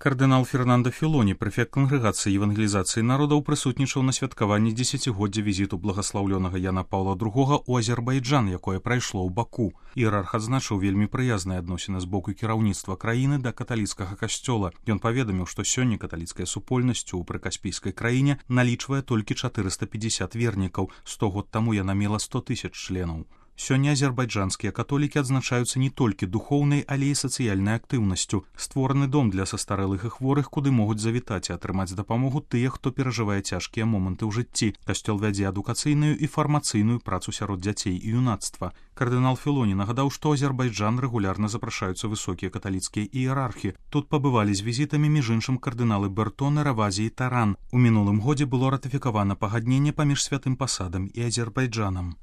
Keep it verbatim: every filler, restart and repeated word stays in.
Кардынал Фернандо Філоні, прэфект кангрэгацыі евангелізацыі народаў, прысутнічаў на святкаванні дзесяцігоддзя візіту благаслаўлёнага Яна Паўла другога ў Азербайджан, якое прайшло ў Баку. Іерарх адзначыў вельмі прыязныя адносіны з боку кіраўніцтва краіны да каталіцкага касцёла. Ён паведаміў, што сёння каталіцкая супольнасць у прыкаспійскай краіне налічвае толькі чатырыста пятьдесят вернікаў, сто год таму яна мела сто тысяч членаў. Сёння азербайджанскія католікі адзначаюцца не толькі духоўнай, але і сацыяльнай актыўнасцю. Створаны дом для састарэлых і хворых, куды могуць завітаць і атрымаць дапамогу тыя, хто перажывае цяжкія моманты ў жыцці. Касцёл вядзе адукацыйную і фармацыйную працу сярод дзяцей і юнацтва. Кардынал Філоні нагадаў, што Азербайджан рэгулярна запрашаюцца высокія каталіцкія іерархі. Тут пабывалі з візітамі між іншым кардыналы Бертон, Равазі і Таран. У мінулым годзе было ратыфікавана пагадненне паміж святым пасадам і Азербайджанам.